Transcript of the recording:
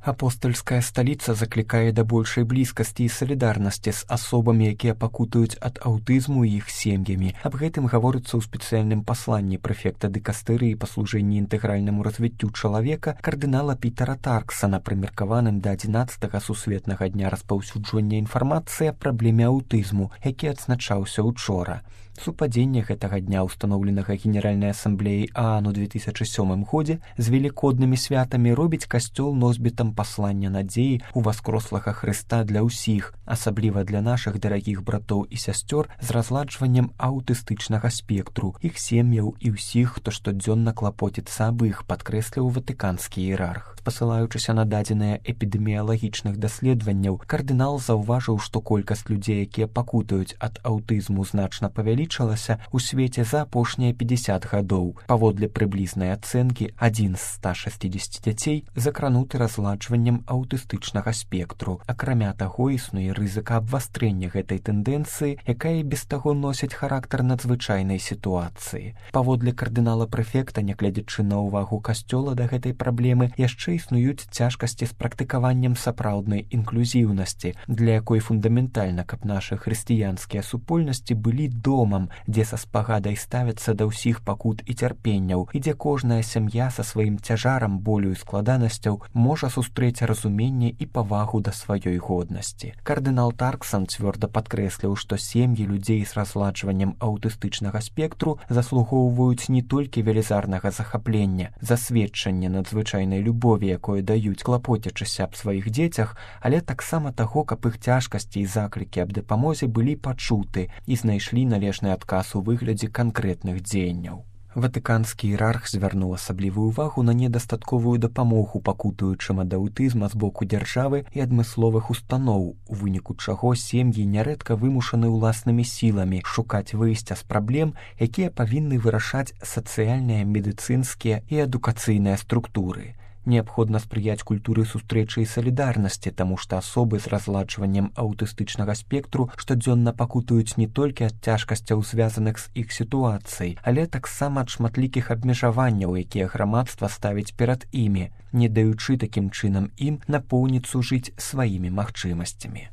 Апостольская сталіца заклікае да большай блізкасці і салідарнасці з асобамі, якія пакутаюць ад аўтызму і іх сем'ямі. Аб гэтым гаворыцца ў спецыяльным пасланні прэфекта дыкастэрыі па служэнні інтэгральнаму развіццю чалавека кардынала Пітера Тарксана, прымеркаваным да 11-га сусветнага дня распаўсюджвання інфармацыі аб праблеме аўтызму, які адзначаўся учора. Супадзенне гэтага дня, устаноўленага Генеральнай асамблеяй ААН у 2007 годзе, з велікоднымі святамі робіць касцёл носьбітам паслання надзеі ў васкрослага Хрыста для ўсіх, асабліва для нашых дарагіх братоў і сясцёр з разладжваннем аўтыстычнага спектру, іх сем'яў і ўсіх, хто штодзённа клапоціцца аб іх, падкрэсліў ватыканскі іерарх. Спасылаючыся на дадзеныя эпідэміялагічных даследаванняў, кардынал заўважыў, што колькасць людзей, якія пакутаюць ад аўтызму, значна павялічылася ў свеце за апошнія 50 гадоў. Паводле прыблізнай ацэнкі, 1 з 160 дзяцей закрануты разладжваннем аўтыстычнага спектру. Акрамя таго, існуе рызыка абвастрэння гэтай тэндэнцыі, якая і без таго носіць характар надзвычайнай сітуацыі. Паводле кардынала-прэфекта, нягледзячы на ўвагу касцёла да гэтай праблемы, яшчэ існуюць цяжкасці з практыкаваннем сапраўднай інклюзіўнасці, для якой фундаментальна, каб нашы хрысціянскія супольнасці былі домам, дзе са спагадай ставяцца да ўсіх пакут і цярпенняў, і дзе кожная сям'я са сваім цяжарам, болю і складанасцяў можа сустрэць разуменне і павагу да сваёй годнасці. Кардынал Тарксан цвёрда падкрэсліў, што сем'і людзей з разладжваннем аўтыстычнага спектру заслугоўваюць не толькі велізарнага захаплення, засведчання надзвычайнай любові, якое даюць, клапоцячыся аб сваіх дзецях, але таксама таго, каб іх цяжкасці і заклікі аб дапамозе былі пачуты і знайшлі належны адказ у выглядзе канкрэтных дзеянняў. Ватыканскі іерарх звярнуў асаблівую ўвагу на недастатковую дапамогу пакутуючым ад аўтызма з боку дзяржавы і адмысловых устаноў, у выніку чаго сем'і нярэдка вымушаны ўласнымі сіламі шукаць выйсця з праблем, якія павінны вырашаць сацыяльныя, медыцынскія і адукацыйныя структуры. Неабходна спрыяць культуры сустрэчы і салідарнасці, таму што асобы з разладжваннем аўтыстычнага спектру штодзённа пакутаюць не толькі ад цяжкасцяў, звязаных з іх сітуацыяй, але таксама ад шматлікіх абмежаванняў, якія грамадства ставіць перад імі, не даючы такім чынам ім напоўніцу жыць сваімі магчымасцямі.